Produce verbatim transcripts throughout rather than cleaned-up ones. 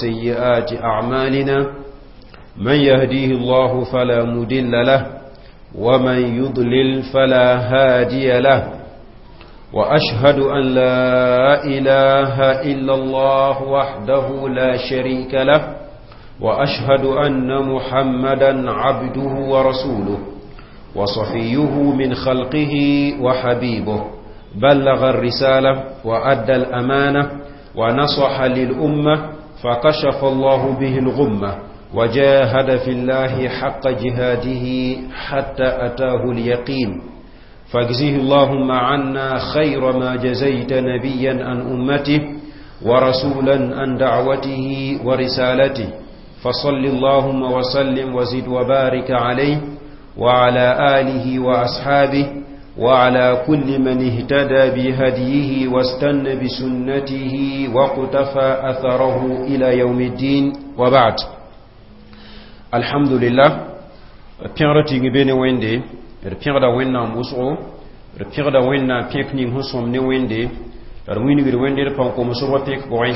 وسيئات أعمالنا من يهديه الله فلا مدل له ومن يضلل فلا هادي له وأشهد أن لا إله إلا الله وحده لا شريك له وأشهد أن محمدا عبده ورسوله وصفيه من خلقه وحبيبه بلغ الرسالة وأدى الأمانة ونصح للأمة فكشف الله به الغمة وجاهد في الله حق جهاده حتى أتاه اليقين فاجزه اللهم عنا خير ما جزيت نبيا عن أمته ورسولا عن دعوته ورسالته فصل اللهم وسلم وزد وبارك عليه وعلى آله وأصحابه وعلى كل من اهتدى بهديه واستنى بسنته واقتفى أثره إلى يوم الدين وبعد الحمد لله pẽgr tɩng be ne wẽnde d pẽgda wẽnnaam wʋsgo d pẽgda wẽnnaam pẽk ning sẽn sõm ne wẽnde la d wingd wẽnde d pãn komsbg pẽk pʋgẽ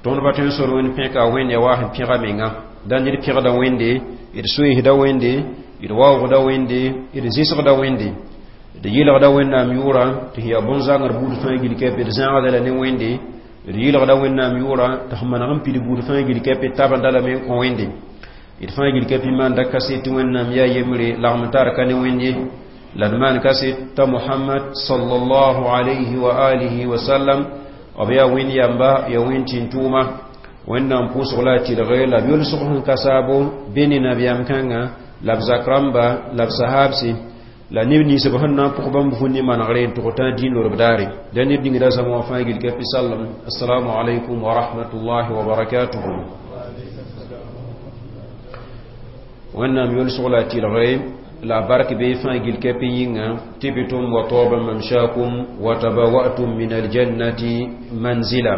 tõnd pa tõe n sor wẽnd pẽka wẽnd ya wa sẽn pẽga menga dãn d pẽgda wẽnde d soeesda wẽnde d waoogda wẽnde d zɩsgda wẽnde d yɩlgda wẽnnaam yʋʋra tɩ yaa bõn-zãngr buud fãa gil kɛpɩ d zãagda la ne wẽnde d yɩlgda wẽnnaam yʋʋra tɩ f maneg n pid buud fãa gil kɛpɩ tabenda lame n kõ wẽnde d fãa gil kɛpɩ maanda kaset tɩ wẽnnaam yaa yembre lagm tar ka ne wẽnd ye la d maan kaset t'a mohamad sallallahu alayhi wa alihi wa sallam b yaa wẽnd yamba ya wẽnd tĩn-tʋʋma wẽnnaam pʋʋsg la a tɩlge la b yolsg sẽn ka saabo be ne nabiyaam kãnga la b zak rãmba la b sahaabse la neb nins b sẽn na n pʋg bãmb vũn ne manegre n tʋg tã dĩin lorb daare da neb ning da zãma wã fãa gil ka sallam assalamu alaikum wa rahmatullahi wa barakatuhu wẽnnaam yolsg la a tɩlgre la bark be fãa gil ka yĩnga tibtum wa taba mamshakum wa tabawatum min aljannati manzila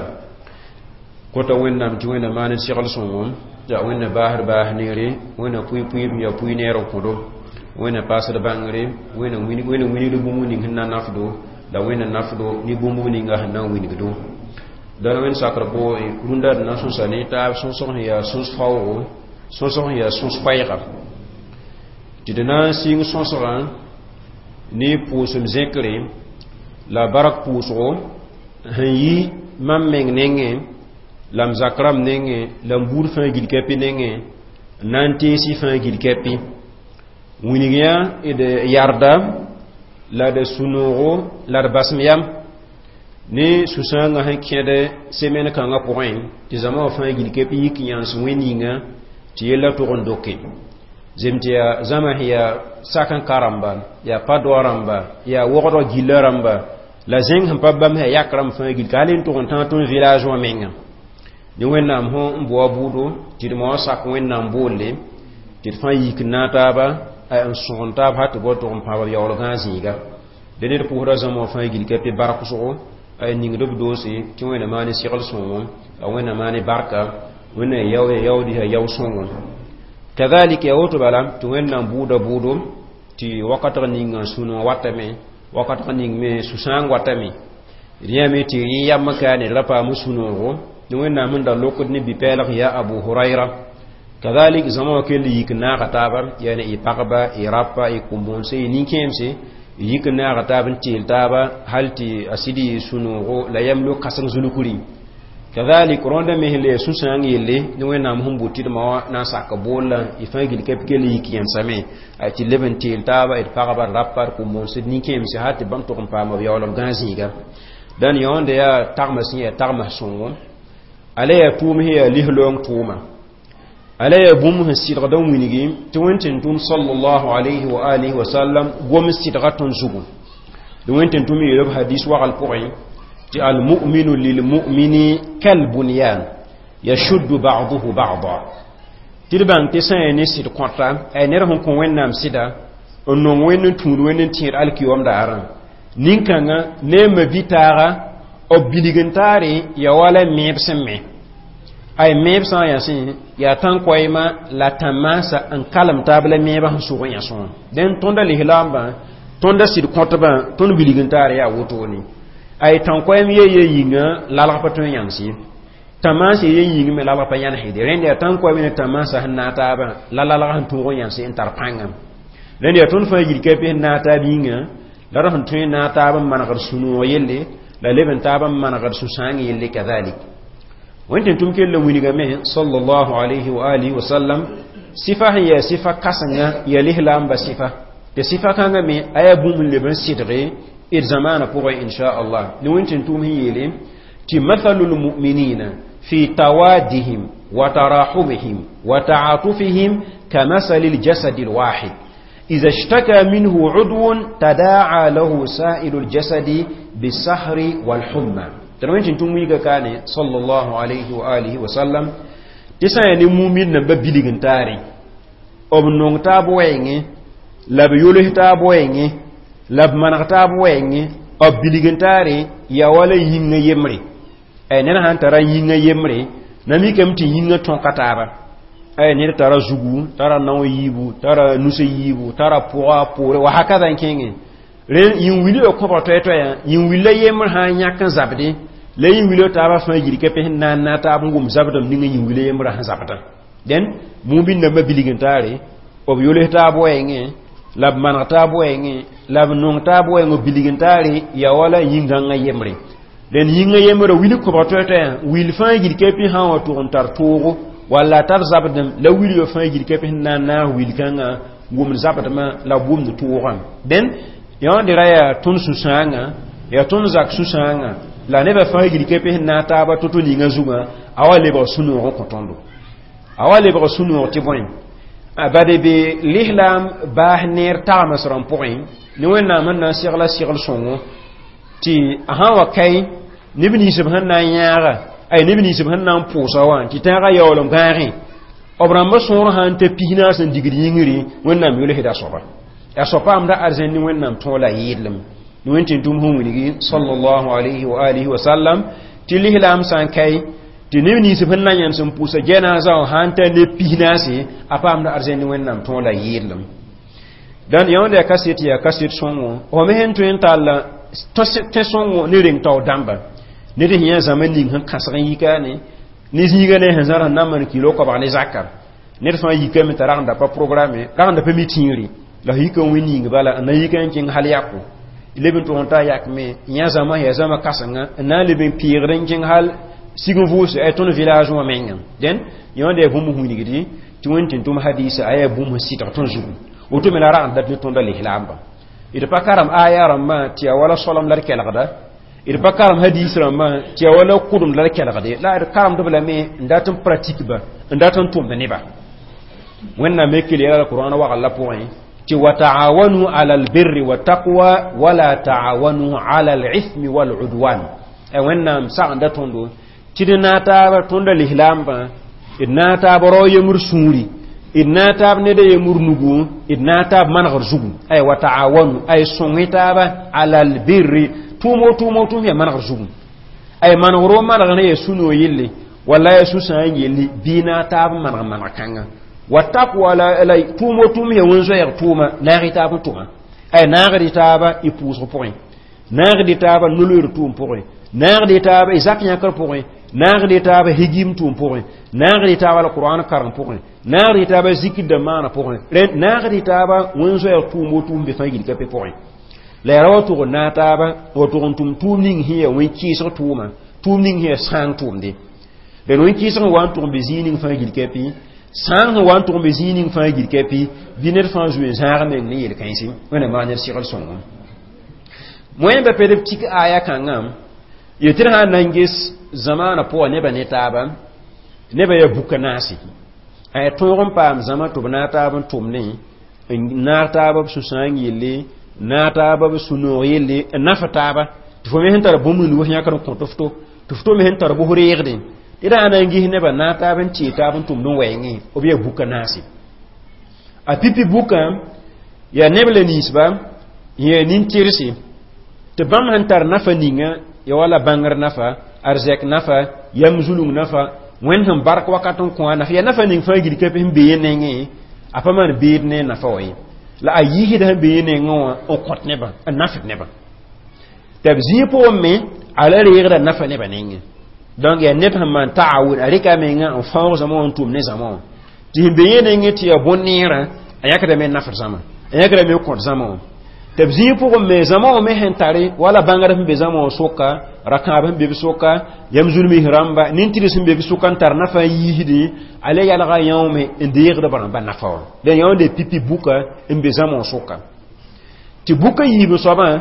kota wẽnnaam tɩ wẽnna maan segl sõngom ya wẽnna baasd baas neere wẽnna pʋɩ-pʋɩb ya pʋɩ neer n kõdo wẽnna paasd bãngre wẽnna wingd bũmb ning sẽn na nafdo la wẽnna nafdo ne bũmb ninga sẽn na n wingdo dãn wẽnd sakr pʋgẽ rũndã d na n sõsa ne taab sõsg sẽn yaa sõs faoogo sõsg sẽn yaa sõs koɛɛga tɩ d na n sɩng sõsgã ne pʋʋsem zẽkre la bark pʋʋsgo sẽn yi mam meng nengẽ la m zak rãmb nengẽ la m buud fãa gil kɛpɩ nengẽ n na n teesi fãa gil kɛpɩ wilg yã d yarda la d sũ-noogo la d basem yam ne sũ-sãangã sẽn kẽd semen kãngã pʋgẽ tɩ zãma wã fãa gil kɛpɩ yik yãns wẽn ninga tɩ yella tʋg n doke zem tɩ yaa zãma sẽn yaa sak n ka rãmba yaa pa doa rãmba yaa wogdg gilla rãmba la zẽng sẽn pa bãmb sã yak rãmb fãa gil ka hal n tʋg n tãag tõnd village wã menga ne wẽnnaam sẽn n boa buudo tɩ d moa sak wẽnnaam boolle tɩ d fãa yik n naag taaba n sõgen taab hal tɩ bao tʋg n pãab b yaool gãag zĩiga dẽ ned pʋʋsda zãma wã fãa gil ka pɩ barksgo a ningd b doose tɩ wẽnna maan segl sõngo a wẽnna maan barka wẽnna yao ya yaood ya yao sõngo kadalik ya woto bala tɩ wẽnnaam buuda buudo tɩ wakatg ninga sũ-noog watame wakatg ning me sũ-sãang watame d yãame tɩ yẽ yam ka ne ra paam sũ-noogo ne wẽnnaam sẽn da lokd ne bi-pɛɛlg ya abu huraira kadalik zãma wã kell yik n naaga taaba yaane y pagba y rapa y kʋm-bõonse y nin-kẽemse y yik n naaga taab n teel taaba hal tɩ a sɩd yɩ sũ-noogo la yam lo kãseng zulkri kadalik rõnda me sẽn le sũ-sãang yelle ne wẽnnaam sẽn bʋ tɩ d ma wã na n sak boolla y fãa gil ka kell yik yẽnsame tɩ leb n teel taaba d pagba d rapa d kʋm-bõonse d nin-kẽemse hal tɩ bãmb tʋg n paama b yaoolem gãag zĩiga dãn yãonda yaa tagma sẽn yaa tagma sõngo ala yaa tʋʋm sẽn yaa lis-loong tʋʋma ala yaa bũmb sẽn sɩdgd n wilgi tɩ wẽn-tẽn-tʋm sallallahu alayhi wa alihi wa sallam gom sɩdga tõnd zugu tɩ wẽn-tẽn-tʋm yeelb hadis wagl pʋgẽ tɩ almuminu lilmumini kalbunyan yashuddu ba'duhu ba'da tɩ d bãng tɩ sã n yaa ne sɩd kõta ay ned sẽn kõ wẽnnaam sɩda n nong wẽnd n tũud wẽnd n tẽed alkiyom daarã nin-kãngã ne a ma-bi-taaga b bilg n taare ya wala meeb sẽn me ay meeb sã n yaa sẽ yaa tãn-koɛɛma la tãn-maasã n kalem taab la meebã sẽn sʋg n yãsẽ wã dẽn tõnda lislaambã tõnda sɩd kõtbã tõnd bilg n taar yaa wotone ay tãn-koɛɛm ye ye yĩnga lalg pa tõe n yãms ye Tamaasã ye yĩng me lalg pa yãnesde rẽnd yaa tãn koa ne tamaasã sẽn naag taabã la lalg sẽn tõog n yãnse n tar pãnga rẽnd yaa tõnd fãa yil ka sẽn naag taab yĩnga la d sẽn tõe n naag taab n manegd sũ-noog yelle la leb n taab n manegd sũ-sãang yelle kadalik wẽn tɩ tʋm kell wilgame sallallahu alayhi wa alihi wa sallam sifa sẽn yaa sifa kãsenga yaa lislaamba sifa tɩ sifa kãngã me a yaa bũmb n leb n sɩdge d zamaana pʋgẽ insha Allah ne wẽn tɩ tʋm sẽn yeele tɩ mathalu lmuminina fi tawadihim wa tarahumihim wa ta'atufihim كمثل الجسد الواحد إذا اشتكى منه عضو تداعى له سائر الجسد بالسهر والحمى تنوين تنتم ويغا كان صلى الله عليه وآله وسلم تسا يعني مؤمن نبا بيلغن تاري ob nong taab wɛɛngẽ la b yols taab wɛɛngẽ la b maneg taab wɛɛngẽ b bilg n taare yaa wala yĩngã yembre ay ned sãn tara yĩngã yembre na mikame tɩ yĩngã tõka taaba ay ned tara zugu tara nao yiibu tara nusã yiibu tara pʋga poore wa hakada n kẽngẽ rẽ yĩn-wilã kõbg toɛ-toɛyã yĩn-willa yembr sã n yãk n zabdẽ la yĩn-wilã taabã fãa yil ka pes n na n na taab n wʋm zabdem ninga yĩn-wila yembrã sẽn zabdã dẽn mumin nambã bilg n taare b yols taab wɛɛngẽ la b maneg taab wɛɛngẽ la b nong taab wɛɛng b bilg n taare yaa wala yĩn-gãngã yembre dẽn yĩngã yembrã wil kõbg toɛ-toɛyã wil fãa yil ka pẽ sã n wa tʋg n tar toogo walla tar zabdem la wilgã fãa yil ka pẽ sẽn na n naag wil kãngã wʋmd zabdmã la b wʋmd toogã dẽn yãonde ra yaa tõnd sũ-sãangã yaa tõnd zak sũ-sãangã la nebã fãa yil ka pẽ sẽn naag taaba to-to ninga zugã a wa lebg sũ-noog n kõ tõndo a wa lebg sũ-noog tɩ bõe bade be lislaam baas neer tagems rãmb pʋgẽ ne wẽnnaam sẽn na n segla segl sõngo tɩ a sã n wa kae neb nins b sẽn na n yãaga ay neb nins b sẽn na n pʋʋsa wã tɩ tãagã yaool n gãagẽ b rãmbã sõor sã n ta pis naas n digd yĩngri wẽnnaam yolsda soaba a soa paamda arzẽn ne wẽnnaam tõog la yɩɩdlem ne wẽn tɩ tʋm sẽn wilgi sallallahu alayhi wa alihi wa sallam tɩ lislaam sã n kae tɩ neb nins sẽn na yãns n pʋʋsa jɛnaazã wã sã n ta ne pis naase a paamda arzẽn ne wẽnnaam tõog la yɩɩdlem dãn yãonda yaa kaset yaa kaset sõngo fo me sẽn tõe n tall tẽ sõngo ne reng tao dãmba ned sẽn yã zãma ning sẽn kãsg n yikaane ne zĩiga ne sẽn zãr sẽn na n maan kilo koabg ne zaka ned fãa yikame t'a ragenda pa programme ragenda pa mi tĩigre la f yika wẽ ning bala n na yika n kẽng hal yako leb n tʋg n taa yakme yã zãma yaa zãma kãsenga n na n leb n peegd n kẽng hal sig n vʋʋse ay tõnd village wã menga dẽn yãonda yaa bũmb wilgdi tɩ wẽn tɩ tʋm hadisa a yaa bũmb sɩdg tõnd zugu woto me la ragend dat ne tõnda lislaamba d pa karem aya rãmbã tɩ yaa wala soalem la d kelgda d pa karem hadis rãmbã tɩ yaa wala kʋdem la d kelgde la d karemdb lame n dat n pratique ba n dat n tʋmd neba wẽnnaam me kell yɛla qur'an wagl la pʋgẽ tɩ وتعاونوا على البر والتقوى ولا تعاونوا على الإثم والعدوان wẽnnaam sagenda tõndo tɩ d naag taaba tõnda lislaambã d naag taab rao yemr sũuri d naag taab ned a yemr nugu d naag taab manegr zugu ay وتعاونوا ay sõng taaba على البر tʋʋmo tʋʋmo tʋʋm yaa manegr zugu ay manegro manegr ne yaa sũ-noog yelle walla yaa sũ-sãang yelle bɩ naag taab n maneg maneg kãnga والتقوى la la tʋʋmo tʋʋm yaa wẽn-zoɛɛg tʋʋma naag y taab n tʋma ay naagd y taaba y pʋʋsg pʋgẽ naagd y taaba no-loeer tʋʋm pʋgẽ naagd y taaba y zak yãkr pʋgẽ naagd y taaba higim tʋʋm pʋgẽ naagd y taaba alqur'an karem pʋgẽ naagd y taaba zikr da maana pʋgẽ rẽ naagd y taaba wẽn-zoɛɛg tʋʋmo tʋʋm be fãa yil ka pe pʋgẽ la yaa ra wa tʋg n naag taaba wa tʋg n tʋm tʋʋm ning sẽn yaa wẽn-kɩɩsg tʋʋma tʋʋm ning sẽn yaa sãang tʋʋmde dẽn wẽn-kɩɩsg n wa n tʋg n be zĩig ning fãa yil ka pɩ sãang sẽn wa n tʋg n be zĩig ning fãa yil ka pɩ bɩ ned fãa zoe zãag meng ne yel-kãense wẽnnaam maan ned segl sõngo moẽmba ped b tik aya kãngã yetɩ d sã n na n ges zamaana pʋga nebã ne taaba nebã yaa buka naase a tõog n paam zãma tɩ b naag taab n tʋmdẽ n naag taaba b sũ-sãang yelle naag taaba b sũ-noog yelle n naf taaba tɩ fo me sẽn tar bũmb n wʋs yãkr n kõt f to tɩ f to me sẽn tar bʋs reegdẽ tɩ d sã na n ges nebã naag taab n tee taab n tʋmd n wɛɛngẽ b yaa buka naase a pipi bukã yaa neb la ninsba yaa nin-tɩrse tɩ bãmb sẽn tar nafa ninga ya wala bãngr nafa arzɛk nafa yam zulung nafa wẽnd sẽn bark wakat n kõ a nafa yaa nafa ning fãa gil ka sẽn be yẽ nengẽ a pa maan beed ne nafa wa ye la a yiisda sẽn be yẽ nengẽ wã n kõt nebã n nafd nebã tɩ b zĩig pʋgẽ me a la reegda nafa nebã nengẽ Donc yaa ned sẽn maan taawun, a rɩka a menga n fãoog zãma wã n tʋm ne zãma wã tɩ sẽn be yẽ nengẽ tɩ yaa bõn-neerã, a yãkdame n nafd zãma, a yãkdame n kõt zãma wã tɩ b zĩig pʋgẽ me zãma wã me sẽn tare wala bãngr sẽn be zãma wã sʋka, rakãab sẽn be b sʋka, yam zulmis rãmba, nin-tɩrs sẽn be b sʋka n tar nafa n yiisdẽ, a le yalga yãoome n deegd b rãmba nafa wã. La yãonde pipi buka n be zãma wã sʋka tɩ buka yiib soabã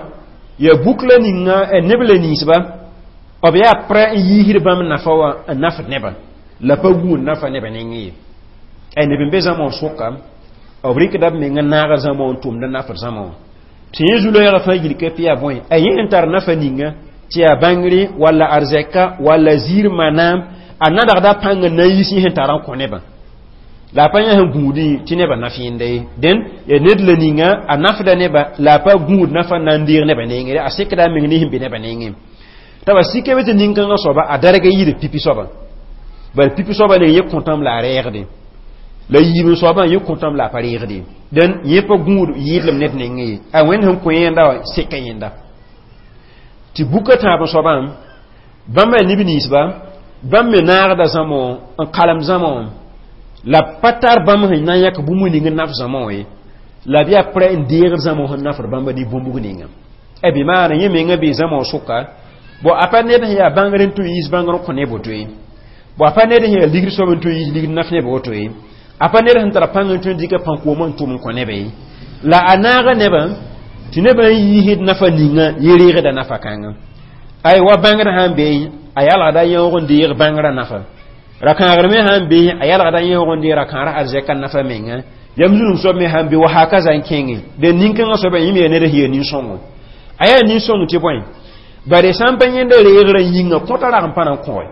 yaa buk la ninga neb la ninsba b yaa prɛ n yiisd bãmb nafa wã n nafd nebã la pa gũud nafa nebã nengẽ ye. Ay neb n be zãma wã sʋka, b rɩkda b menga naag zãma wã n tʋmd n nafd zãma wã tɩ yẽ zu-loɛɛgã fãa gil ka pɩ yaa bõe a yẽ n tar nafa ninga tɩ yaa bãngre walla arzɛka walla ziir manaam a nadgda pãng n na n yis yẽ sẽn tar n kõ nebã la a pa yã sẽn gũudẽ tɩ nebã naf yẽnda ye. Dẽn yaa ned la ninga a nafda neba la a pa gũud nafa n na n deeg nebã nengẽ, a sekda a meng ne sẽn be nebã nengẽ t'a ba sikame tɩ nin-kãngã soaba a darga yɩɩd pipi soaba, bala pipi soaba ne yẽ kõtame la a reegde la yiib soabã yẽ kõtame la a pa reegde. Dẽn yẽ pa gũud yɩɩdlem ned nengẽ ye, a wẽnd sẽn kõ yẽnda wã seka yẽnda tɩ buka tãab soabã bãmba yaa neb ninsba bãmb me naagda zãma wã n kalem zãma wã la pa tar bãmb sẽn na n yãk bũmb ning n naf zãma wã ye, la b yaa prɛ n deegd zãma wã sẽn nafd bãmba ne bũmb ninga e bɩ maana yẽ menga bee zãma wã sʋka bo a pa ned sẽn yaa bãngr n tũ yiis bãngr n kõ ne boto ye, bo a pa ned sẽn yaa ligd soab n tũ yiis ligd naf neb woto ye, a pa ned sẽn tara pãng n tũ n dɩka pãn-koomã n tʋm n kõ neba ye, la a naaga nebã tɩ nebã n yiisd nafa ninga yẽ reegda nafa kãnga. Ay wa bãngr sã n be a yalgda yãoog n deeg bãngrã nafa, rakãagr me sã n be a yalgda yãoog n deeg rakãara arzɛka nafa menga, yam zulum soab me sã n be wa hakaza n kẽngẽ. De nin-kãngã soaba yẽ me yaa ned sẽn yaa nin-sõngo, a yaa nin-sõng tɩ bõe bare sã n pa yẽnda reegrã yĩnga kõta rag n pa na n kõge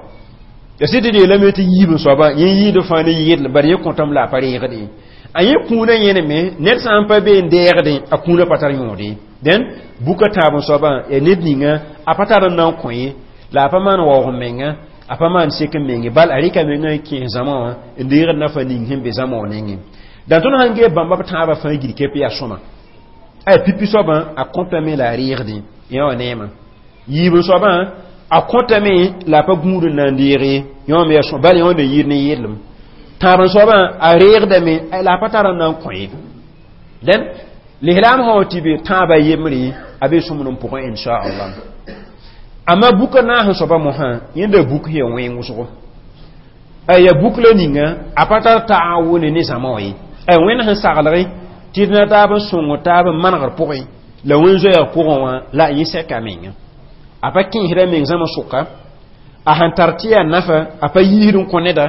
ya sɩd tɩ d yeelame tɩ yiib n soaba yẽ yɩɩd fãa ne yɩɩdl bare yẽ kõtame la a pa reegde a yẽ kũunã yẽneme ned sã n pa be n deegdẽ a kũunã pa tar yõode. Dẽn buka tãab n soabã yaa ned ninga a pa tar n na n kõ ye, la a pa maan waoog n menga, a pa maan sek n menge, bal a rɩka menga n kẽes zãma wã n deegd nafa ning sẽn be zãma wã nengẽ. Dã tõnd sãn gee bãmba b tãabã fãa gil kep yaa sõma ay pipi soabã a kõtame la a reegdẽ yẽ wã neema, yiib n soabã a kõtame la a pa gũud n na n deege yẽ me yaa bal yẽ wã ne yɩɩd ne yɩɩdlem, tãab n soabã a reegdame la a pa tar n na n kõ ye. Dẽn lislaam sã wa tɩ be tãabã yembre a be sõmd n pʋgẽ inchallah. Amma buka naas n soaba mosã yẽnda buk sẽn yaa wẽng wʋsgo a yaa buk la ninga a pa tar taawune ne zãma wã ye, a wẽnd sẽn saglge tɩ d na taab n sõng taab n manegr pʋgẽ la wẽn-zoɛɛg pʋgẽ wã la yẽ sɛka menga a pa kẽesda meng zãma sʋka a sẽn tar tɩ yaa nafa a pa yiisd n kõ neda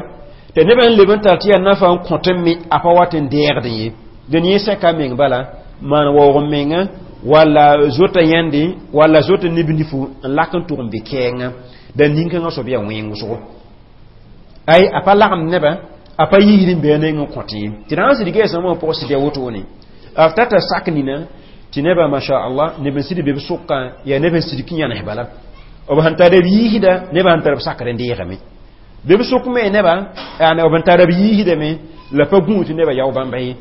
tɩ nebã n leb n tar tɩ yaa nafa n kõt n me a pa wat n deegdẽ ye. Dẽn yẽ sɛka meng bala maan waoog n menga walla zota yãnde walla zota neb nifu n lak n tʋg n be kɛɛngã da nin-kãngã soab yaa wẽng wʋsgo ay a pa lagem nebã a pa yiisd n be a neng n kõt ye tɩ d sã n sɩd geesã wã pʋg sɩd yaa wotone b tata sak nina tɩ nebã masha Allah neb n sɩd be b sʋkã yaa neb n sɩd kĩ yãnes bala b sẽn tar b yiisda nebã sẽn tar b sakr n deegame be b sʋk me nebã b sẽn tar b yiisdame la pa gũud tɩ nebã yao bãmba ye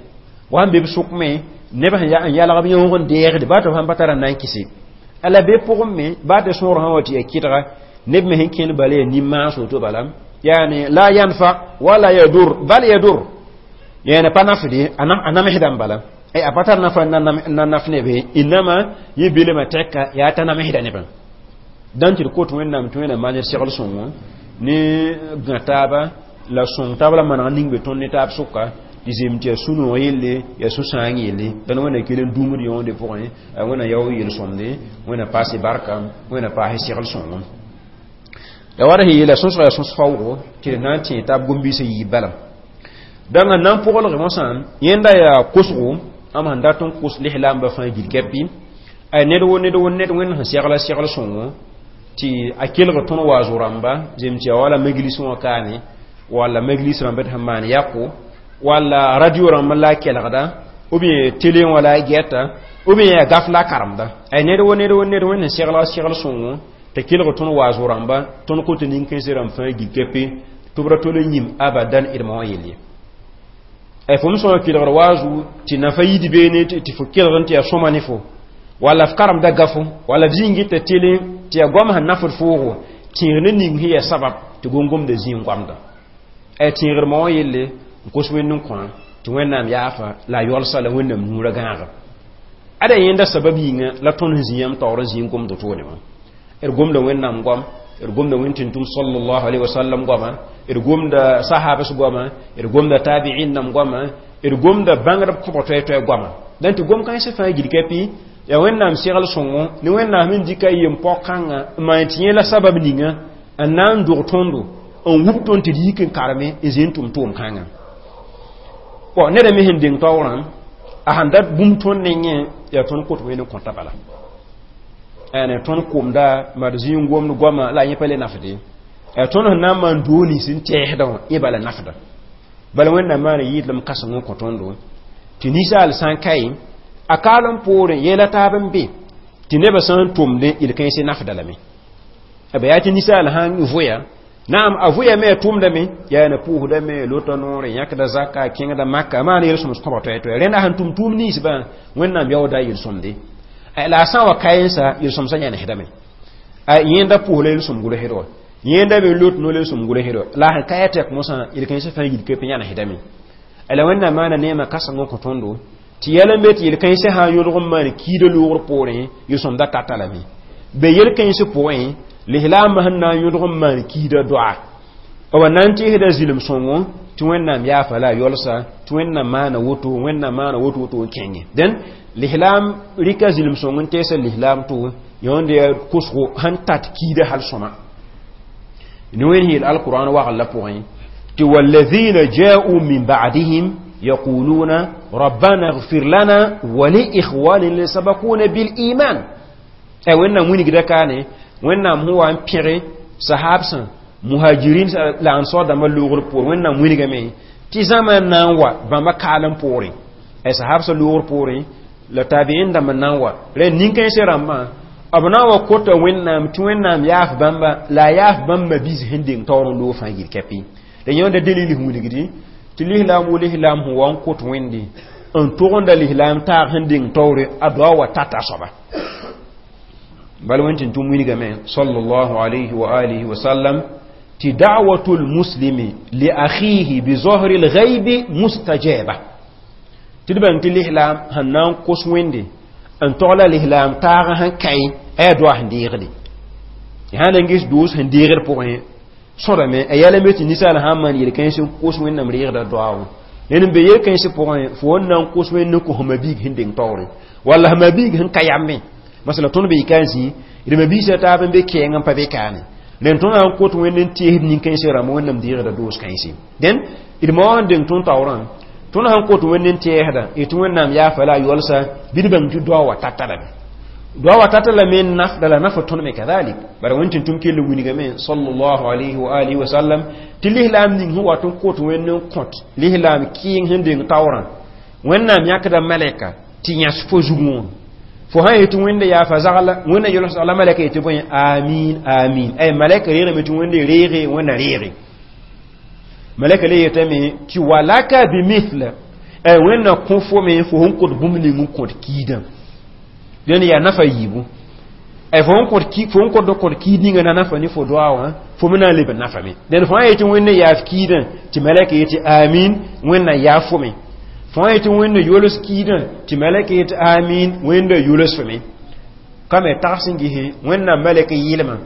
wa sẽn be b sʋk me neb sẽn n yalg b yõog n deegde baa tɩ b sãn pa tara n na n kɩse ala be pʋgẽ me baa tɩ sõor sã wa tɩ yaa kɩdga neb me sẽn kẽnd bala yaa nin-maas woto bala yani la yanfa wala yadur bal yadur yani pa nafde a namsdã bala a pa tar nafa n na naf nebe inama yẽ belema tɛka yaa t'a namsda nebã dãn tɩ d kot wẽnnaam tɩ wẽnnaam maan d segl sõngo ne gã taaba la sõng taab la maneg ning be tõnd ne taab sʋka tɩ zem tɩ yaa sũ-noog yelle yaa sũ-sãang yelle dãn wẽnna kell n dũmd yõode pʋgẽ wẽnna yao yel-sõmde wẽnna paase barka wẽnna paase segl sõngo la wara sẽn yeela sõsga yaa sõs faoogo tɩ d na n tẽ taab gom-biisã yiib bala dãng n na n pʋglge mosã yẽnda yaa kosgo am sẽn dat n kos lislaambã fãa gil kɛpɩ ay ned wo ned wo ned wẽnd sẽn segla segl sõngo tɩ a kelg tõnd waazo rãmba zem tɩ yaa wala maglis wã kaame walla maglis rãmba tɩ sẽn maan yako walla radio rãmb la a kelgda ou bien télé wã la a gɛta ou bien yaa gaf la a karemda ay ned wo ned wo ned wẽnd sẽn segla segl sõngo tɩ kelg tõnd waazo rãmba tõnd kot nin-kãensã rãmb fãa gil kɛpɩ tɩ b ra tol n yĩm abadan d ma wã yell ye ay fo m sõma kelgr waazu tɩ nafa yid beene tɩ fo kelg n tɩ yaa sõma ne fo walla f karemda gafo walla f zĩng t'a télé tɩ yaa goam sẽn nafd foogo Tẽegr ne ning sẽn yaa sabab tɩ gom-gomda zĩ n goamda. A tẽegr ma wã yelle n kos Wẽnd n kõ tɩ Wẽnnaam yaafa la a yolsa la Wẽnnaam nuurã gãaga. Ada yẽnda sabab yĩnga la tõnd sẽn zĩ yãmb taoor n zĩ n gomd toone wã. D gomda Wẽnnaam goam, d gomda Wẽn tʋm sallallahu alaihi wasallam goama, d gomda sahabas goama, d gomda tabi'in nam goama, d gomda bãngrb kõbg toɛ-toɛ goama. Dẽn tɩ gom kãensã fãa gilka pi yaa Wẽnnaam segl sõngo ne Wẽnnaam sẽn dɩka yem-pao-kãngã n maan tɩ yẽ la sabab ninga n na n dog tõndo n wub tõnd tɩ d yik n kareme n zĩ n tʋm tʋʋm-kãngã. Bɔn neda me sẽn deng taoorã a sãn dat bũmb tõnd nengẽ yaa tõnd kot wẽnd n kõta bala. Ane tõnd kʋmda mad zĩ n gomd goama la yẽ pa le nafde. Yaa tõnd sẽn na n maan doo nins n tɛɛsdã wã yẽ bala nafda. Bala Wẽnnaam maana yɩɩdlem kãseng n kõ tõndo tɩ ninsaal sã n kae a kaalem poorẽ yɛla taab n be tɩ nebã sã n tʋmdẽ yel-kãensẽ nafda lame. B yaa tɩ ninsaal sãn vʋya naam a vʋyame a tʋmdame yaa na pʋʋsdame lota noore yãkda zaka kẽngda maka maana yel-sõms kõba toɛ-toɛ rẽnda sẽn tʋm tʋʋm ninsbã Wẽnnaam yaooda yel-sõmde la a sã n wa kaensa yel-sõmsã yãnesdame a yẽnda pʋʋs la yel-sõm gʋlsd wa yẽnda me lot no yel-sõm gʋlsd wa la sẽn kaya tɛk mosã yel-kãensã fãa yil-kep yãnesdame. La Wẽnnaam maana neemã kãseng n kõ tõndo tɩ yɛl n be tɩ yel-kãensã sã n yõlg n maan kiida loogr poorẽ yel-sõmda tata lame be yel-kãens pʋgẽ lislaambã sẽn na n yõdg n maan kiida doa b na n tɩɩsda zĩlem sõngo tɩ Wẽnnaam yaafa la a yolsa tɩ Wẽnnaam maana woto Wẽnnaam maana woto woto n kẽnge dẽn lislaam rɩka zĩlem sõng n teesa lislaam to yõnd yaa kosgo sẽn tat kiida hal sõma ne Wẽnd yeel alquran wagl la pʋgẽ tɩ والذين جاءوا من بعدهم يقولون ربنا اغفر لنا ولإخواننا الذين سبقونا بالإيمان. Ay Wẽnnaam wilgda kaane Wẽnnaam sẽn wa n pẽge sahabsã muhajirin la ansar dãmbã loogr poore Wẽnnaam wilgame tɩ zãma n na n wa bãmba kaalem poorẽ ay sahabsã loogr poorẽ la tabi'in dãmb n na n wa rẽ nin-kãensã rãmbã b na n wa kota Wẽnnaam tɩ Wẽnnaam yaaf bãmba la a yaaf bãmb mabiis sẽn deng taoor n loog fãa yil kɛpɩ la yẽnda dalil sẽn wilgdi tɩ lislaam wo lislaam sẽn wa n kot Wẽnde n togenda lislaam taag sẽn deng taoore a doa wa tata soaba bal wẽn tɩ tʋm wilgame sallallahu alayhi wa alihi wa sallam tɩ da'watu lmuslimi li akhihi bi zahri lghaybi mustajaba tɩ d bãng tɩ lislaam sẽn na n kos Wẽnde n togla lislaam taag sẽn kae a yaa doa sẽn deegde sã na n ges doos sẽn deegd pʋgẽ sõdame a yɛla me tɩ ninsaal sã n maan yel-kãens n kos Wẽnnaam reegda doa wã ned n be yel-kãens pʋgẽ fo wẽn na n kos Wẽnd n kos mabiig sẽn deng taoore walla mabiig sẽn ka yambe masala tõnd be yika n zĩ d mabiisã taab n be kɛɛng n pa be kaane rẽnd tõnd na n kot Wẽnd n teesd nin-kãensã rãmb Wẽnnaam deegda doos kãense dẽn d ma wã n deng tõnd taoorã tõnd sãn kot Wẽnd n tɛɛsda y tɩ Wẽnnaam yaafa la a yolsa bɩ d bãng tɩ doa wa tata lame doa wa tata lame n nafda la nafa tõnd me kadalik bara Wẽnd tɩ tʋm kell wilgame sallallahu alayhi wa alihi wa sallam tɩ lislaam ning sẽn wat n kot Wẽnd n kõt lislaam kɩɩng sẽn deng taoorã Wẽnnaam yãkda malɛka tɩ yãs fo zugẽ wã fo sã yetɩ Wẽnda yaafa zagla Wẽnda yols zagla malɛka yetɩ bõe amin amin ay malɛka reegame tɩ Wẽnda reege Wẽnda reege malɛka le yetame tɩ walaka bimithla ay Wẽnna kõ fo me fo sẽn kõt bũmb ning n kõt kiidã dẽnd yaa nafa yiibu ay fo sẽn kõt fo sẽn kõt kõt kiid ninga na nafa ne fo doa wã fo me na n leb n nafame dẽnd fo sã yetɩ Wẽnda yaaf kiidã tɩ malɛka yetɩ amin Wẽnna yaaf fo me fo sã yetɩ Wẽnda yols kiidã tɩ malɛka yetɩ amin Wẽnda yols fo me ka me tags n gese Wẽnnaam malɛk yɩlmã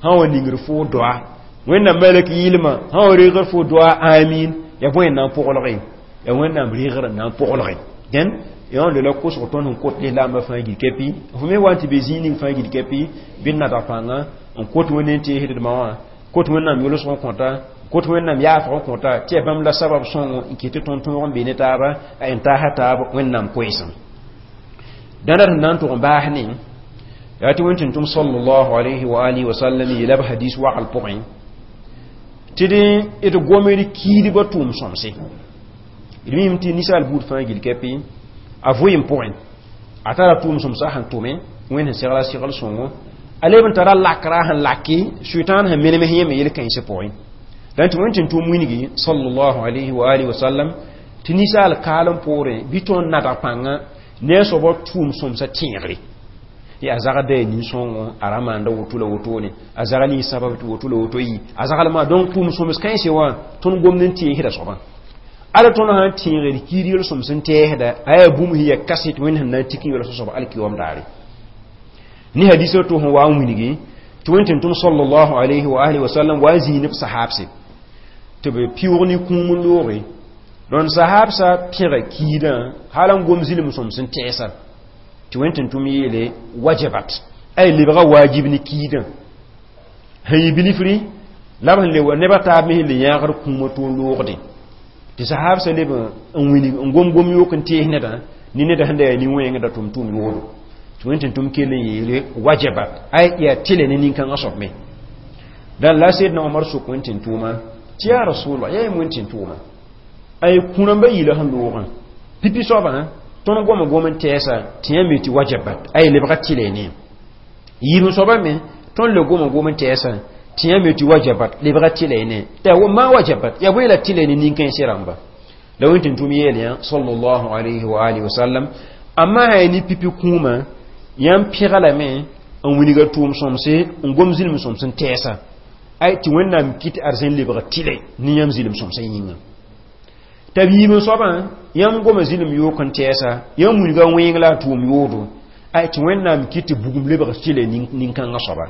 sã wa ningr fo doa Wẽnnaam malɛk yɩlmã sã wa reegr fo doa amin ya bõe n na n pʋglge ya Wẽnnaam reegr n na n pʋglge dẽn yõnd la kosg tõnd sẽn kot lislaambã fãa gil kɛpɩ fo me wa n tɩ be zĩig ning fãa gil kɛpɩ bɩ d nadg pãnga n kot Wẽnd n teesdma wã kot Wẽnnaam yolsg n kõta kot Wẽnnaam yaafg n kõta tɩ yaa bãmb la sabab sõngo n kɩt tɩ tõnd tõog n be ne taaba n taasa taab Wẽnnaam koeesem dãnda sẽn na n tʋg n baas ne yaa tɩ Wẽnd tɩ tʋm sallallahu alayhi wa alihi wa sallam yeela b hadis wagl pʋgẽ tɩ dẽ d gomd kiidbã tʋʋm sõmse d mim tɩ ninsaal buud fãa gil kɛpɩ a vʋɩɩm pʋgẽ a tara tʋʋm sõmsã sẽn tʋme Wẽnd sẽn segla segl sõngo a leb n tara lakra sẽn laki sʋɩtãan sẽn menem yẽme yel-kãensã pʋgẽ dãn tɩ Wẽnd tɩ tʋm wilgi sallallahu alayhi wa alihi wa sallam tɩ ninsaal kaalem poorẽ bɩ tõnd nadg pãnga ne a soabã tʋʋm sõmsã tẽegre Ya zaga da nin-sõngo a ra maanda woto la wotone, a zagl yɩ sabab tɩ woto la woto yɩ a zaglmã. Donc tʋʋm sõms kãense wã, tõnd gomd n tẽesda soabã. Ala tõnd sãn tẽegd kiid yel-sõms n tɛɛsda, a yaa bũmb sẽn ya kaset Wẽnd sẽn na n tik n yols soab alkiyoom daare. Ne hadisa to sẽn wa n wilgi tɩ Wẽnd tɩ tʋm sallallahu alayhi wa alihi wa sallam wa n zĩig ne b sahabse tɩ b pɩʋg ne kũum n looge. Dõnd sahabsã pẽga kiidã hal n gom zɩlem sõms n tɛɛsa, tɩ Wẽnd tɩ tʋm yeele wajabat, ay lebga wajib ne kiidã sẽn yɩ bilifri la b sẽn le neba taab me sẽn le yãagd kũumã tɩ n loogde, tɩ sahabsã leb n wilg n gom gom yook n tees nedã ne neda sẽn da yaa nin-wẽngda tʋm tʋʋm yoodo, tɩ Wẽnd tɩ tʋm kell n yeele wajabat, ay yaa tɩlɛ ne nin-kãngã soab me. Dãn la Sedna Omar sok Wẽnd tɩ tʋʋma tɩ yaa rasulallah, yaa yem Wẽnd tɩ tʋʋma, ay kũ-rãmbã yɩla sẽn loogã pipi soabã tõnd goma gom n tɛɛsa tɩ yã me tɩ wajabat, ay lebga tɩlɛ ne yiib soabã me tõnd le goma gom n tɛɛsa tɩ yã me tɩ wajabat, lebga tɩlɛ ne t'a ma wajabat ya bõe la tɩlɛ ne nin-kãensã rãmba. La Wẽnd tɩ tʋm yeel yã sallallahu alayhi wa alihi wa sallam, amma sã ne pipi kũumã yãmb pẽga lame n wilga tʋʋm sõmse n gom zĩlem sõms n tɛɛsa, ay tɩ Wẽnnaam kɩt arzẽn lebg tɩlɛ ne yãmb zĩlem sõmsã yĩnga. T'a b yiib n soabã yãmb goma zĩlem yook n tɛɛsa, yãmb wilga wẽeng la a tʋʋm yoodo, ay tɩ Wẽnnaam kɩt tɩ bugum lebg tɩlɛ nin-kãngã soaba.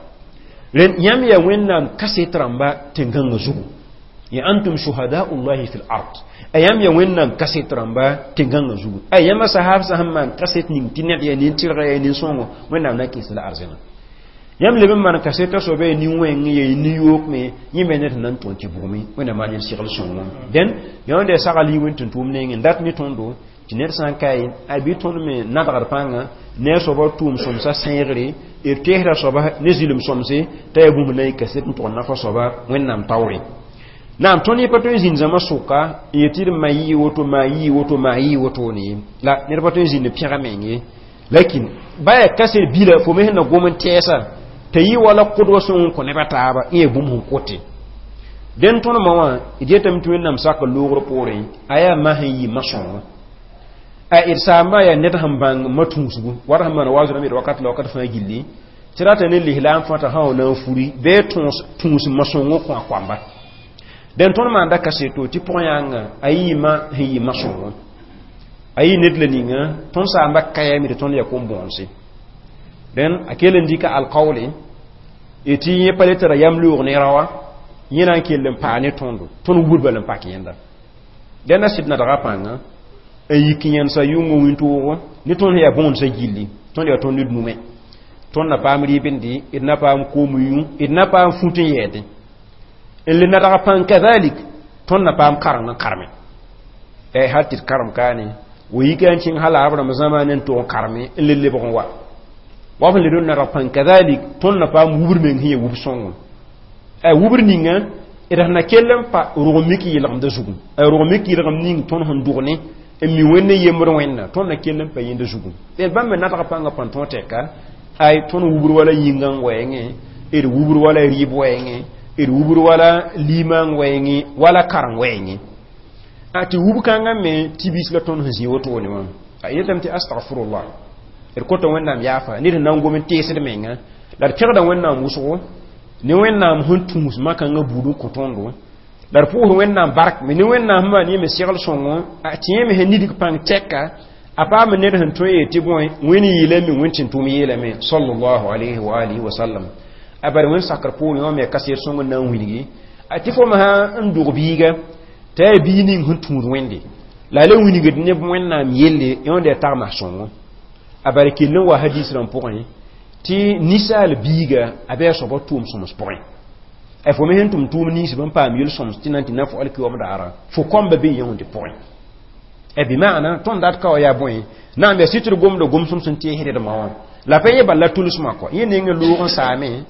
Rẽnd yãmb yaa Wẽnnaam kaset rãmba tẽn-gãngã zugu, ya antum shuhadaullahi fil ard, a yãmb yaa Wẽnnaam kaset rãmba tẽn-gãngã zugu. A yãmba sahabsã sẽn maan kaset ning tɩ ned yaa nin-tɩrga, yaa nin-sõngo, Wẽnnaam na kɩs la arzẽna. Yãmb leb n maan kaseta soaba yaa nin-wẽng, yaa nin-yook me, yẽ me ned sẽn na n tõe tɩ bugme Wẽnnaam maan yel segl sõngo. Dẽn yãnd yaa sagl yɩ Wẽnd tɩ tʋʋm nengẽ dat ne tõndo tɩ ned sã n kae a bɩ tõnd me nadgd pãnga ne a soaba tʋʋm sõmsã sẽegre, d teesda soaba ne zɩlem sõmse t'a yaa bũmb na n yɩ kaset n tʋg n nafa soaba Wẽnnaam taoore. Naam, tõnd yẽ pa tõe n zĩnd zãma sʋka n yet tɩ d ma yɩ woto, maa yɩ woto, maa yɩ wotone ye la ned pa tõe n zĩnd pẽga meng ye. Lakin ba yaa kaset bila fo me sẽn na gom n tɛɛsa t'a yɩ wala kʋdba sõng n kõ nebã taaba n yaa bũmb sẽn kote. Dẽn tõndmã wã d yetame tɩ Wẽnnaam sak loogr poorẽ a yaa ma sẽn yɩ ma-sõngo, a d saamba yaa ned sẽn bãng ma tũusgu wat sẽn maan waaz rãmb d wakat la wakat fãa gilli tɩ rata ne lislaam fãta sã wa na n furi bɩ tũus ma-sõngõ kõ a koamba. Dẽn tõnd maanda kaseto tɩ pʋg-yãnga a yɩ ma sẽn yɩ ma-sõngo, a yɩ ned la ninga tõnd saamba kayame tɩ tõnd yaa kom-bõonse. Dẽn a kell n dɩka alkaoole tɩ yẽ pa le tara yam loog ne raoã, yẽ na n kell n paa ne tõndo, tõnd wubr bal n pak yẽnda. Dẽnda sɩd nadga pãnga n yik n yẽnsa yʋngã wĩntoogo ne tõnd sẽn yaa bõonesã gilli, tõnd yaa tõnd ned nume, tõnd na paam rɩɩbende, d na paam koom yũ, d na paam fut n yɛɛdẽ n le nadg pãng kazalik, tõnd na paam kareng n karme hal tɩ d karem kaane wa yika n kẽng hal a rãmb zãma ne n tʋg n karme n le lebg n wa wa f le rõnd nadg pãng kazalik, tõnd na paam wubr meng sẽn yaa wub sõngo a wubr ninga d sẽn na kell n pa rog mik yɩlgemda zugu, a rog mik yɩlgem ning tõnd sẽn dog ne n mi Wẽnd yembd Wẽnna, tõnd na kell n pa yẽnda zugu. D bãmb me nadg pãngã pãn tõog tɛka ay tõnd wubr wala yĩngã wɛɛngẽ, d wubr wala rɩɩb wɛɛngẽ, d wubr wala liimã wɛɛngẽ, wala kareng wɛɛngẽ a tɩ wub kãngã me tɩ bis la tõnd sẽn zĩ wotone wã a yetame tɩ astagfirullah, d kota Wẽnnaam yaafa ned sẽn na n gom n teesd menga la d pẽgda Wẽnnaam wʋsgo ne Wẽnnaam sẽn tũus makãngã buud n kõ tõndo, la d pʋʋs Wẽnnaam bark me ne Wẽnnaam sẽn maan yẽ me segl sõngo tɩ yẽ me sẽn nidg pãng tɛka a paam ned sẽn tõe yeel tɩ bõe Wẽnd yeelame, Wẽnd tɩ tʋm yeelame sallallahu alayhi wa alihi wa sallam. A bari Wẽnd sakr poorẽ wã me kaset sõng n na n wilgi a tɩ fo me sã n dog biiga t'a yaa biig ning sẽn tũud Wẽnde la a le wilgd neb Wẽnnaam yelle yõnd yaa tagma sõngo. A bari kell n wa hadis rãmb pʋgẽ tɩ ninsaal biiga a bɩ a soaba tʋʋm sõms pʋgẽ, a fo me sẽn tʋm tʋʋm ninsb n paam yel-sõms tɩ na n tɩ na fo alkiyoom daara fo kõmba be yõonde pʋgẽ e bɩ maana tõnd dat ka wa yaa bõe naam yaa sɩtr gomda gom-sõms n teesdma wã la pa yẽ bala tʋlsmã kɔ yẽ neng loog n saame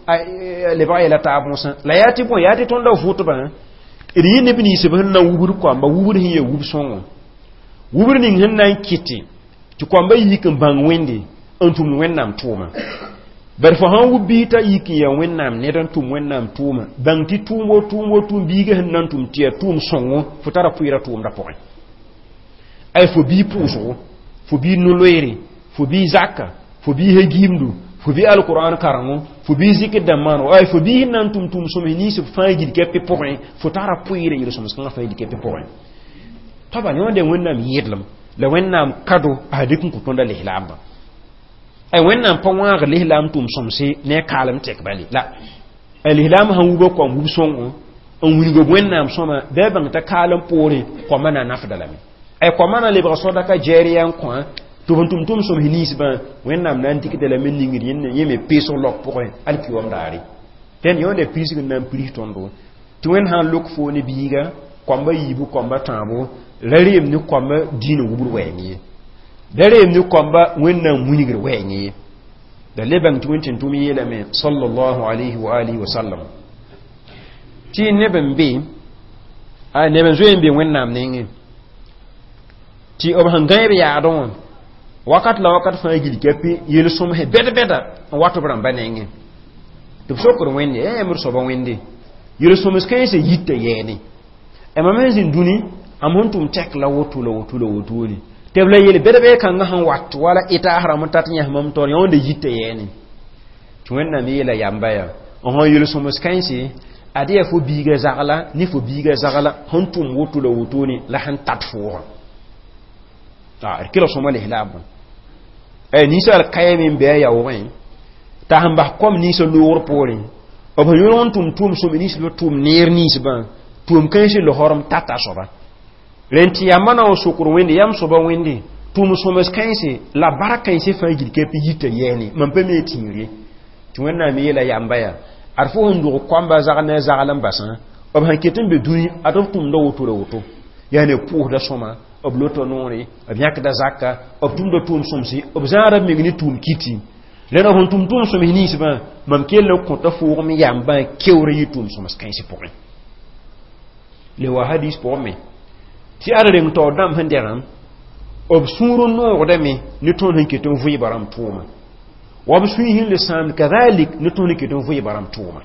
lebg yɛla taab wõsã la yaa tɩ bõe yaa tɩ tõnda vʋtbã d yẽ neb ninsb sẽn na wubr koamba wubr sẽn yaa wub sõngo wubr ning sẽn na n kɩtɩ tɩ koamba yik n bãng Wẽnde n tũmd Wẽnnaam tʋʋma. Bari fo sãn wub biig t'a yik n yaa Wẽnnaam ned n tʋm Wẽnnaam tʋʋma, bãng tɩ tʋʋm wo tʋʋm wo tʋʋm biigã sẽn na n tʋm tɩ yaa tʋʋm sõngo fo tara pʋɩɩra tʋʋmda pʋgẽ. Ay fo bii pʋʋsgo, fo bii no-loeere, fo bii zaka, fo bii he gimdu, Fo bɩ alquran karengo, fo bɩ zikr dãmb maano, ay fo bɩ na n tʋm tʋʋm sõms nins b fãa gil kɛpɩ pʋgẽ, fo tara pʋɩɩrã yel-sõms kãngã fãa gil kɛpɩ pʋgẽ. Toaba yõode Wẽnnaam yẽdlem la Wẽnnaam kado a dɩk n kõ tõnda lislaambã. Ay Wẽnnaam pa wãag lislaam tʋʋm sõmse ne a kaalem tɛk bale la a lislaam sãn wubã koam wub sõngo n wilg b Wẽnnaam sõma bɩ a bãng t'a kaalem poorẽ koamã na nafda lame. Ay koamã na lebg sodaka jɛɛrya n kõ tɩ b tʋm tʋm sõms ninsbã Wẽnnaam na n dɩkda lame ningd yẽ me peesg log pʋgẽ alkiwam daare. Dẽn yõonda piisg n na n pirs tõndo tɩ Wẽnd sã n lok foo ne biiga koamba yiibu koamba tãabo ra reem ne koamba diinã wubd wɛɛng ye, ra reem ne koamba Wẽnnaam wilgr wɛɛng ye. Da le bãng tɩ Wẽnd tẽn-tʋm yeelame sallallahu alayhi wa alihi wa sallam tɩ neb n be a neb n zoe n be Wẽnnaam nengẽ tɩ b sẽn gãeb yaadẽ wã wakat la wakat fãa gil kapi yel-sõmsẽ bɛd-bɛda n wat b rãmba nengẽ tɩ b sokd Wẽnde ẽ d soaba Wẽnde yel-sõms kãensã yita yɛɛne mam sẽn zĩnd dũni am sẽn tʋm tɛk la woto la woto la wotone tɩ b la yel bɛd-bɛd kãngã sẽn wat wala ɩtaas rãmb n tat yãs mam taoor yã wẽnda yita yɛɛne. Tɩ Wẽnnaam yeela yamba yaa n sẽn yel-sõms kãense ad yaa fo biiga zagla ne fo biiga zagla sẽn tʋm woto la wotone la sẽn tat foogã d kelg sõma lislaambã. Ninsaal kayame n be a yaoogẽ t'a sẽn bas kom ninsã loogr poorẽ b sẽn yõlg n tʋm tʋʋm sõme nins b tʋʋm neer ninsbã tʋʋm kãensẽ losrem tata soaba rẽn tɩ yamba na n sokd Wẽnde yam soaba Wẽnde tʋʋm sõms kãense la bark kãensẽ fãa gil kɛpɩ yita yɛɛne mam pa me tĩir ye. Tɩ Wẽnnaam yeela yamba yaa ad fo sẽn dog koamba zag ne a zagl n basã b sẽn ket n be dũni ad b tʋmda woto la woto yaa ne pʋʋsda sõma b lota noore b yãkda zaka b tʋmda tʋʋm sõmse b zãada b meng ne tʋʋm kiti rẽna sẽn tʋm tʋʋm sõms ninsbã mam kell n kõta foogem yambã keoor yɩ tʋʋm sõms kãens pʋgẽ. Le wa hadis pʋgẽ me tɩ ad reng taoor dãmb sẽn dɛgã b sũur n noogdame ne tõnd sẽn ket n vɩɩba rãmb tʋʋma wa b sũy sẽn le sãamd kadalik ne tõnd sẽn ket n vɩɩba rãmb tʋʋma.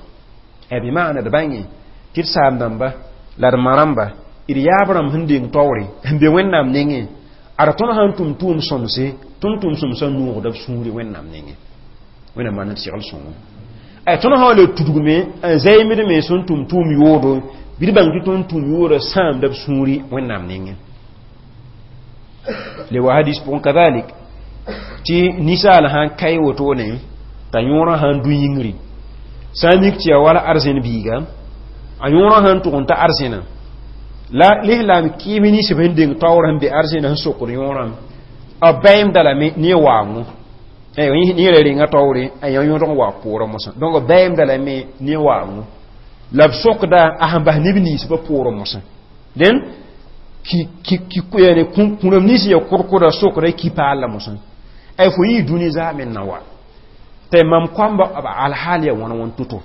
Bɩ maana d bãnge tɩ d saam dãmba la d ma rãmba d yaab rãmb sẽn deng taoore sẽn be Wẽnnaam nengẽ ad tõnd sãn tʋm tʋʋm sõmse tõnd tʋʋm sõmsã noogda b sũuri Wẽnnaam nengẽ. Wẽnnaam maan d segl sõngo ay tõnd sã wa le tudgme n zaɩmd me sẽn tʋm tʋʋm yoodo bɩ d bãng tɩ tõnd tʋʋm yoodã sãamda b sũuri Wẽnnaam nengẽ. Le wa hadis pʋgẽ kadalik tɩ ninsaal sãn kae wotone t'a yõorã sãn dũ yĩngri sã n mik tɩ yaa wala arzẽn biiga a yõorã sãn tʋg n ta arzẽna la lislaam kɩɩm ninsb sẽn deng taoor sẽn be arzẽna sẽn sokd yõorã b baeemda lame ne waango ne ra renga taoore a yã yõdg n wa poorã mosã donc b baeemda lame ne waango la b sokda a sẽn bas neb ninsbã poorã mosã dẽn kũrem nins ya kʋrkʋda sokda ki paal la mosã ay fo yɩ dũni zaa men na wa tɩ mam koamba b alhaal ya wãn wãn to-to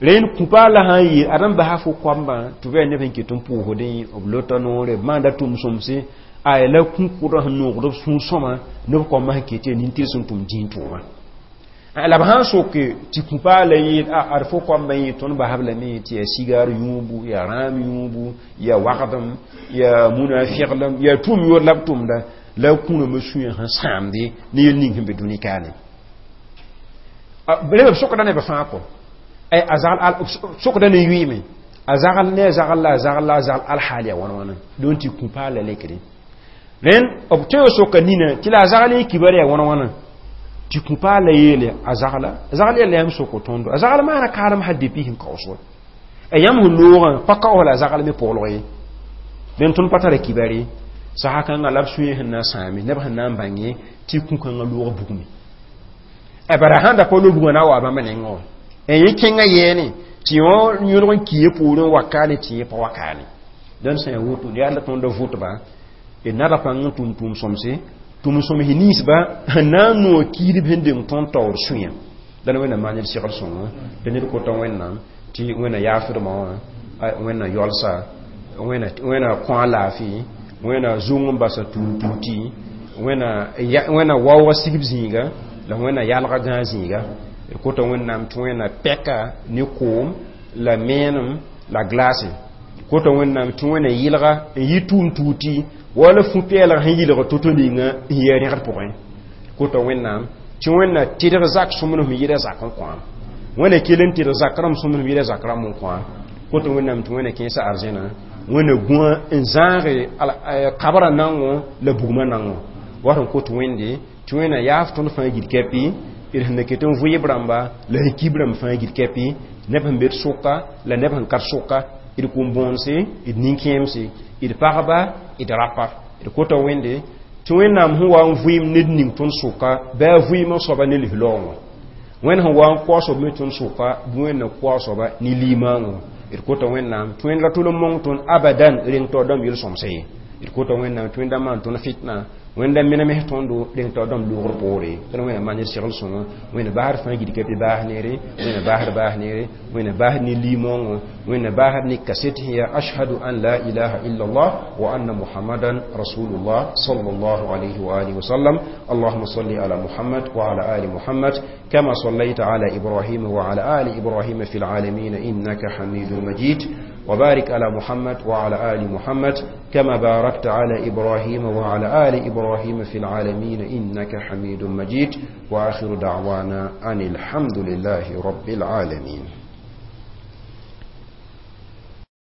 rẽnd kũ-paala sã n yeel ad n basa fo koambã tɩ b yaa neb sẽn ket n pʋʋsdẽ b lota noore b maanda tʋm sõmse ay la kũ-kʋdã sẽn noogd b sũur sõma neb koambã sẽn ket yaa nin-tɩrs n tʋm dĩin tʋʋma la b sãn soke tɩ kũ-paala yeel ad fo koambã yẽ tõnd basb lame tɩ yaa sigaar yũubu yaa rãam yũubu yaa wagdem yaa munafiglem yaa tʋʋm yoor la b tʋmda la kũrãmã sũyã sẽn sãamde ne yel ning sẽn be dũni kaane rẽ b sokda neb fãa kɔ a zagl sokda ne yʋɩɩme a zagl ne a zagl la a zagl la a zagl alhaal yaa wãn wãna don tɩ kũ-paala lekre rẽnd b tõe soka nina tɩ la a zagl y kibar yaa wãn wãna tɩ kũ-paala yeele a zagla a zagl yaa la yãmb soko tõndo a zagl maana kaalem hal depuis sẽn kaoos wa a yãmb sẽn loogã pa kaoos la a zagl me pʋglg ye dẽn tõnd pa tara kibar ye sasa kãngã la b sũyẽ sẽn na n sãame neb sẽn na n bãnge tɩ kũ-kãngã loog bugme bara sãn da pa loog bugmã na n wa bãmb nengẽ wã yẽ kẽngã yɛɛne tɩ yõ yõlg n kiye poorẽ wakaane tɩ yẽ pa wakaane dẽnd sã ya woto yaa la tõnd vʋtba d nada pãng n tʋm tʋʋm sõmse tʋm sõms ninsba sẽn na n noog kiidb sẽn deng tõnd taoor sũyã la Wẽnnaam maan ned segl sõngo tɩ ned kota Wẽnnaam tɩ Wẽnna yaafdmã wã Wẽnna yalsa Wẽnna kõ a laafɩ Wẽnna zũng n basa tũud tuuti Wẽnna waooga sigb zĩiga la Wẽnna yalga gãag zĩiga d kota Wẽnnaam tɩ Wẽnna pɛka ne koom la meenem la glaase kota Wẽnnaam tɩ Wẽnna yɩlga n yɩ tʋʋm tuuti wala fu-peelg sẽn yɩlg to-to ninga n yɩ rẽgd pʋgẽ kota Wẽnnaam. Tɩ Wẽnna tɩdg zak sõmblem sẽn yɩɩda zak n kõ. Wẽnna kell n tɩdg zak rãmb sõmblem sẽn yɩɩda zak rãmb n kõ. Koto Wẽnnaam tɩ Wẽnna kẽesa arzẽna, Wẽnna gũa n zãage kabrã nango la bugmã nango. Wat n kot Wẽnde tɩ Wẽnna yaaf tõnd fãa gil kɛpɩ, d sẽn na ket n vɩɩb rãmba la sẽn kib rãmb fãa gil kɛpɩ, neb sẽn be d sʋka la neb sẽn ka d sʋka, d kũm-bõonse, d nin-kẽemse, d pagba, d rapa. D kota Wẽnde tɩ Wẽnnaam sẽn wa n vɩɩm ned ning tõnd sʋka, bɩ a vɩɩmã soaba ne lis-laoongõ. Wẽnd sẽn wa n kao soab me tõnd sʋka, bɩ Wẽnna kao soaba ne limaangõ. D kota Wẽnnaam tɩ Wẽnd ra tʋl n mong tõnd abadan reng taoor dãmb yel-sõmsã ye. D kota Wẽnnaam tɩ Wẽnda maan tõnd fitna, Wẽnda menem tõndo reng taoor dãmb loogr poore. Tɩ Wẽnna maan ned segl sõngo, Wẽnna basd fãa gil kɛpɩ baas neere, Wẽnna basd baas neere, Wẽnna basd ne limaangõ, Wẽnna basd ne kaset sẽn yaa ashhadu an la ilaha illallah wa anna muhammadan rasulullah sallallahu alayhi wa alihi wa sallam. اللهم صل على محمد وعلى آل محمد كما صليت على إبراهيم وعلى آل إبراهيم في العالمين إنك حميد مجيد، وبارك على محمد وعلى آل محمد كما باركت على إبراهيم وعلى آل إبراهيم في العالمين إنك حميد مجيد. وآخر دعوانا أن الحمد لله رب العالمين.